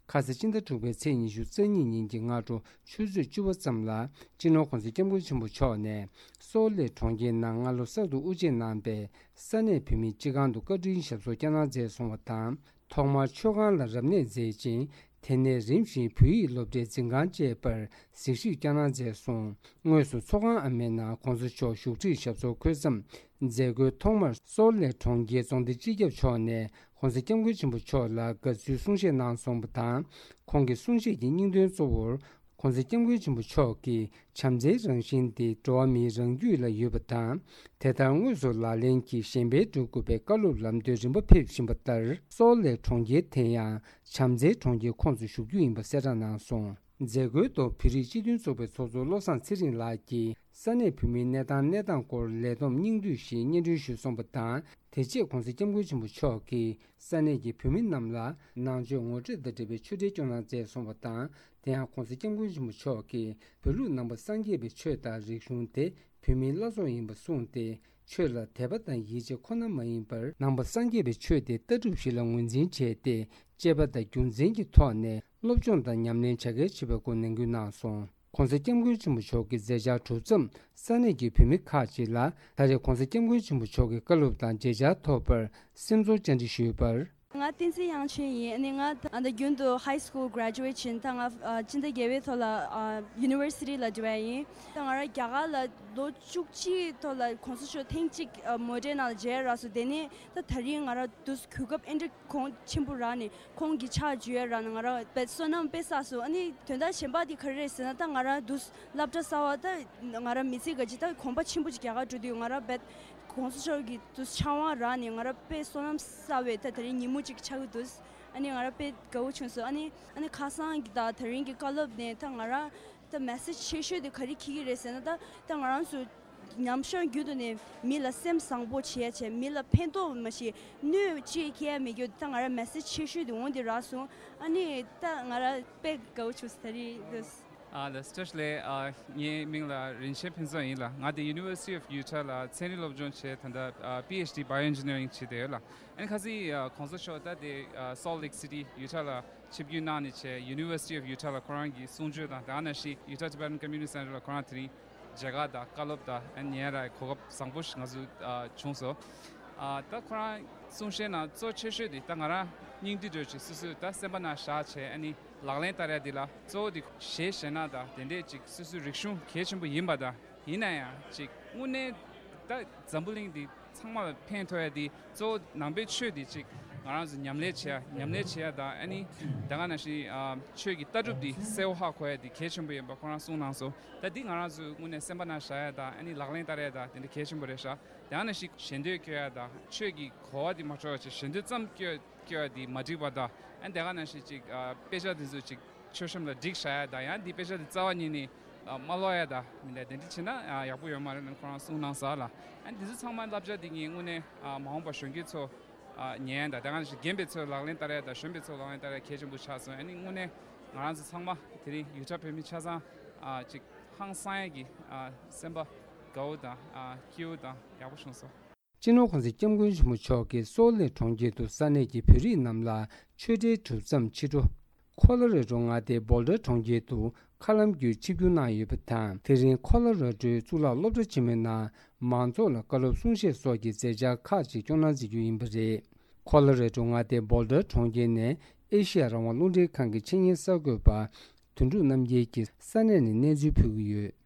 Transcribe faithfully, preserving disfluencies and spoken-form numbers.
ཁ་སང་སྤྱི་ཟླ་དྲུག་པའི་ཚེས་ཉི་ཤུ་རྩ་གཉིས་ཉིན་གྱི་སྔ་དྲོ་ཆུ་ཚོད་བཅུ་པ་ཙམ་ལ། སྤྱི་ནོར་༸གོང་ས་༸སྐྱབས་མགོན་ཆེན་པོ་མཆོག་ནས་སོལ་ལེ་གྲོང་ཁྱེར་ནང་སྔ་ལོ་གསར་དུ་དབུ་འབྱེད་གནང་པའི་ས་གནས་བོད་མིའི་སྤྱི་ཁང་དུ་བཀའ་དྲིན་ཞབས་སོར་བསྐྱངས་གནང་མཛད་སོང་བ་དང་། ཐོག་མར་མཆོད་ཁང་ལ་རབ་གནས་མཛད་ཅིང་། དེ་ནས་རིམ་བཞིན་བོད་ཡིག་སློབ་གྲྭའི་འཛིན་ཁང་བཅས་པར་གཟིགས་ཞིབ་བསྐྱངས་གནང་མཛད་སོང་། དངོས་སུ་ཚོགས་ཁང་ཨ་མའི་ནང་༸གོང་ས་མཆོག་བཞུགས་ཁྲིར་ཞབས་སོར་འཁོད་མཚམས། མཛད་སྒོའི་ཐོག་མར་སོལ་ལེ་གྲོང་ཁྱེར་རྫོང་སྡེ་སྤྱི་ཁྱབ་མཆོག་ནས་༸གོང་ས་༸སྐྱབས་མགོན་ཆེན་པོ་མཆོག་ལ་དགའ་བསུའི་གསུང་བཤད་གནང་སོང་བ་དང་། ཁོང་གི་གསུང་བཤད་ཀྱི་སྙིང་དོན་གཙོ་བོར། ༸གོང་ས་༸སྐྱབས་མགོན་ཆེན་པོ་མཆོག་གིས་བྱམས་བརྩེའི་རང་བཞིན་དེ་འགྲོ་བ་མིའི་རང་རྒྱུད་ལ་ཡོད་པ་དང་། དེ་ལྟར་དངོས་སུ་ལག་ལེན་གྱིས་གཞན་ཕན་སྒྲུབ་དགོས་པའི་བཀའ་སློབ་ལམ་སྟོན་རིམ་པ་ཕེབས་བཞིན་པ་ལྟར། སོལ་ལེ་གྲོང་ཁྱེར་དེ་ཡང་བྱམས་བརྩེའི་གྲོང་ཁྱེར་ཁོངས་སུ་ཞུགས་རྒྱུ་ཡིན་པ་གསལ་བསྒྲགས་གནང་སོང་། མཛད་སྒོའི་ཐོག་བོད་རིགས་སྤྱི་མཐུན་ཚོགས་པའི་ཚོགས་གཙོ་བློ་བཟང་ཚེ་རིང་ལགས་ཀྱིས་ས་གནས་བོད་མིའི་གནས་སྟངས་གནས་སྟངས་སྐོར་ལས་བསྡོམས་སྙིང་བསྡུས་ཤིག་སྙན་སྒྲོན་ཞུས་སོང་བ་དང་། དེ་རྗེས་༸གོང་ས་༸སྐྱབས་མགོན་ཆེན་པོ་མཆོག་གིས་ས་གནས་ཀྱི་བོད་མི་རྣམས་ལ་ནང་ཆོས་ངོ་སྤྲོད་དང་འབྲེལ་བའི་ཆོས་འབྲེལ་སྐྱོང་གནང་མཛད་སོང་བ་དང་། དེ་ཡང་༸གོང་ས་༸སྐྱབས་མགོན་ཆེན་པོ་མཆོག་གིས་བོད་ལུགས་ནང་པ་སངས་རྒྱས་པའི་ཆོས་དང་རིག་གཞུང་དེ་བོད་མིའི་བླ་སྲོག་ཡིན་པ་གསུངས་ཏེ། ཆོས་ལ་དད་པ་དང་ཡིད་ཆེས་ཁོ་ན་མ་ཡིན་པར། ནང་པ་སངས་རྒྱས་པའི་ཆོས་དེ་ལྟ་གྲུབ་ཞིག་ལ་ངོས་འཛིན་བྱས་ཏེ། དཔྱད་པ་དང་རྒྱུ་མཚན་གྱི་ཐོག་ནས་སློབ་སྦྱོང་དང་ཉམས་ལེན་བྱ་གལ་ཆེ་བའི་སྐོར་ནན་སྐུལ་གནང་སོང་། ༸གོང་ས་༸སྐྱབས་མགོན་ཆེན་པོ་མཆོག་གི་མཛད་འཆར་གྲུབ་མཚམས། ས་གནས་ཀྱི་བོད་མི་ཁག་ཅིག་ལ་ད་རེས་༸གོང་ས་༸སྐྱབས་མགོན་ཆེན་པོ་མཆོག་གི་བཀའ་སློབ་དང་མཇལ་བཅར་ཐོབ་པར་སེམས་ཚོར་བཅར་འདྲི་ཞུས་པར། ང་བསྟན་འཛིན་དབྱངས་ཅན་ཡིན། ཨ་ནི་ང་ད་ལྟ་རྒྱུན་དུ་ཧའི་སི་ཀུལ་གྷ་རེ་ཇུ་ཝེཊ་ཕྱིན། ད་ང་ཨ་སྤྱི་ཟླ་བརྒྱད་པའི་ཐོག་ལ་ཨ་ཡུ་ནི་ཝར་སི་ཊི་ལ་འགྲོ་ཡ་ཡིན། ད་ང་རང་རྒྱ་གར་ལ་ལོ་བཅུ་གཅིག་ཐོག་ལ་༸གོང་ས་མཆོག་ཐེངས་གཅིག་ཨ་མོ་ཊའི་ནང་ལ་མཇལ་རག་སོང་། དེ་ནས་ད་ད་རིང་ང་རང་དུས་གོ་སྐབས་ཨེ་འདྲ་གོང་ཆེན་པོ་རག་ནས་ཁོང་གི་ཕྱག་འཇུ་ཡ་རག་ནས་ང་རང་དཔེ་བསོད་ནམས་དཔེ་བསགས་སོང་། ཨ་ནི་དོན་དག་གཞན་པ་དེ་ག་རེ་རེད་ཟེར་ན། ད་ང་རང་དུས་སློབ་གྲྭ་གསར་བ། ད་ང་རང་མི་ཚེ་ག་ཅིག་ད་གོམ་པ་ཆེན་པོ་ཅིག་རྒྱག་ག་འགྲོ་དུས་ང་རང་དཔེ་༸གོང་ས་མཆོག་གི་དུས་ཕྱག་དབང་རག་ནས་ང་རང་དཔེ་བསོད་ནམས་བསགས་པའི་ད་དེ་རིང་ཉིན་མོ་ཅིག་ཆགས་ཀྱི་འདུག་ཨ་ནི་ང་རང་དཔེ་དགའ་བོ་བྱུང་སོང་། ཨ་ནི་ཨ་ནི་ཁ་སང་གི་ད་དེ་རིང་གི་བཀའ་སློབ་ནས་ད་ང་རང་ད་མེ་སེཇ་ཆེ་ཤོས་དེ་ག་རེ་འཁྱེར་གྱི་རེད་ཟེར་ན། ད་ད་ང་རང་ཚོ་ཉམས་ཞིབ་རྒྱུན་དུ་ནས་མི་ལ་སེམས་བཟང་པོ་བྱེད་ཡ་བྱས། མི་ལ་ཕན་ཐོགས་མ་གཏོགས་གནོད་ཅིག་སྐྱེལ་ཡ་མེད་རྒྱུ། ད་ང་རང་མེ་སེཇ་ཆེ་ཤོས་དེ་འོང་དེ་རག་སོང་། ཨ་ནི་ད་ང་རང་དཔེ་དགའ་བོ་བྱུང་སོང་ད་རེས་དུས། ཨ་ལགས་སོ། བཀྲ་ཤིས་བདེ་ལེགས། ཨ་ངའི་མིང་ལ་རིན་ཆེན་ཕུན་ཚོགས་ཡིན་ལགས། ང་དེ་University of Utah ལ་ཚན་རིག་སློབ་སྦྱོང་བྱས། ད་ལྟ་ཨ་པི་ཨེཆ་ཌི་Bioengineering བྱེད་བསྡད་ཡོད་ལགས། ཨ་ནི་ཁ་སང་ཨ་༸གོང་ས་མཆོག་ད་དེ་ཨ་Salt Lake City Utah ལ་ཆིབས་བསྒྱུར་གནང་ནས་བྱས། University of Utah ལ་ཁོ་རང་གི་གསུང་ཆོས་དང་། དེ་ནང་བཞིན་Utah Tibetan Community Center ལ་ཁོ་རང་དེ་རིང་མཇལ་ཁ་དང་བཀའ་སློབ་དང་ཨ་ཉན་ཡ་རག་གོ་སྐབས་བཟང་པོ་ཞིག་ང་ཚོ་ཨ་བྱུང་སོང་། ཨ་ད་ཁོ་རང་གསུང་བཤད་ནང་གཙོ་ཆེ་ཤོས་དེ་ད་ང་རང་སྙིང་བསྡུས་འདྲ་ཅིག་སོ་སོས་ད་སེམས་པ་ནང་བཞག་བྱས། ཨ་ནི་ལག་ལེན་བསྟར་ཡ་དེ་ལ་གཙོ་བོ་དེ་གཞས་གཞས་སྣ་དང་དེ་འདྲས་ཅིག་སོ་སོའི་རིག་གཞུང་གལ་ཆེན་པོ་ཡིན་པ་དང་། ཡིན་ན་ཡང་ཅིག་དངོས་གནས་ད་འཛམ་བུ་གླིང་འདི་ཚང་མ་ལ་ཕན་ཐོགས་ཡ་དེ་གཙོ་བོ་ནང་པའི་ཆོས་དེ་ཅིག་ང་རང་ཚོ་ཉམས་ལེན་བྱེད་ཡ། ཉམས་ལེན་བྱེད་ཡ་དང་། ཨ་ནི་ད་ག་ནང་བཞིན་ཨ་ཆོས་ཀྱི་ལྟ་གྲུབ་དེ་གསལ་བོ་ཧ་གོ་ཡ་དེ་གལ་ཆེན་པོ་ཡིན་པ་ཁོ་རང་གསུངས་གནང་སོང་། ད་འདི་ང་རང་ཚོ་དངོས་གནས་སེམས་པ་ནང་བཞག་ཡ་དང་། ཨ་ནི་ལག་ལེན་བསྟར་ཡ་དང་དེ་འདྲ་གལ་ཆེན་པོ་རེད་ཤག་ད་ག་ནང་བཞིན་ཞལ་འདོན་སྐྱོན་ཡ་དང་། ཆོས་ཀྱི་གོ་བ་དེ་མ་འཕྲོད་པ་བྱས་ཞལ་འདོན་ཙམ་སྐྱོན་སྐྱོན་ཡ་དེ་མ་འགྲིག་པ་དང་། ཨ་ནི་ད་ག་ནང་བཞིན་ཅིག་ཨ་དཔེ་ཆ་དེ་ཚོ་ཅིག་མཆོད་གཤོམ་ལ་སྒྲིག་བཞག་ཡ་དང་། ཡང་འདི་དཔེ་ཆ་དེ་རྩ་བ་ཉིད་ནས་ཨ་མ་ཀློག་ཡ་དང་མི་འདྲ་དེ་འདྲ་བྱས་ན་ཨ་ཡག་པོ་ཡོད་མ་རེད་ལབ་ཁོ་རང་གསུངས་གནང་སོང་ལགས། ཨ་ནི་འདི་ཚོ་ཚང་མ་བསླབ་བྱ་འདི་ངས་དངོས་གནས་ཨ་མ་འོངས་པ་གཞོན་སྐྱེས་ཚོ་ཨ་ཉན་ཡ་དང་། ད་ག་ནང་བཞིན་རྒན་པའི་ཚོས་ལག་ལེན་བསྟར་ཡ་དང་། གཞོན་པའི་ཚོས་ལག་ལེན་བསྟར་ཡ་གལ་ཆེན་པོ་ཆགས་སོང་། ཨ་ནི་དངོས་གནས་ང་རང་ཚོ་ཚང་མ་དེ་རིང་ཡུ་ཊ་བོད་མི་ཆ་ཚང་ཨ་ཅིག་ཧང་སང་ཡ་གི་ཨ་སེམས་པ་དགའ་བོ་དང་ཨ་སྐྱིད་བོ་དང་ཡག་པོ་བྱུང་སོང་། སྤྱི་ནོར་༸གོང་ས་༸སྐྱབས་མགོན་ཆེན་པོ་མཆོག་གིས་སོལ་ལེ་གྲོང་ཁྱེར་དུ་ས་གནས་ཀྱི་བོད་རིགས་རྣམས་ལ་ཆོས་འབྲེལ་གྲུབ་མཚམས་ཕྱི་དྲོ། ཁོ་ལོ་རེ་ཌོ་མངའ་སྡེའི་བྷོལ་ཌར་གྲོང་ཁྱེར་དུ་མཁའ་ལམ་བརྒྱུད་ཆིབས་བསྒྱུར་གནང་ཡོད་པ་དང་། དེ་རིང་ཁོ་ལོ་རེ་ཌོའི་གཙུག་ལག་སློབ་གྲྭ་ཆེན་མོའི་ནང་མང་ཚོགས་ལ་བཀའ་སློབ་གསུང་བཤད་སོགས་ཀྱི་མཛད་འཆར་ཁག་ཅིག་སྐྱོང་གནང་མཛད་རྒྱུ་ཡིན་པ་རེད། ཁོ་ལོ་རེ་ཌོ་མངའ་སྡེའི་བྷོལ་ཌར་གྲོང་ཁྱེར་ནས་ཨེ་ཤེ་ཡ་རང་དབང་རླུང་འཕྲིན་ཁང་གི་ཆེད་གཉེར་གསར་འགོད་པ་དོན་གྲུབ་རྣམ་རྒྱལ་གྱིས་ས་གནས་ནས་གནས་ཚུལ་ཕུལ་གྱི་ཡོད།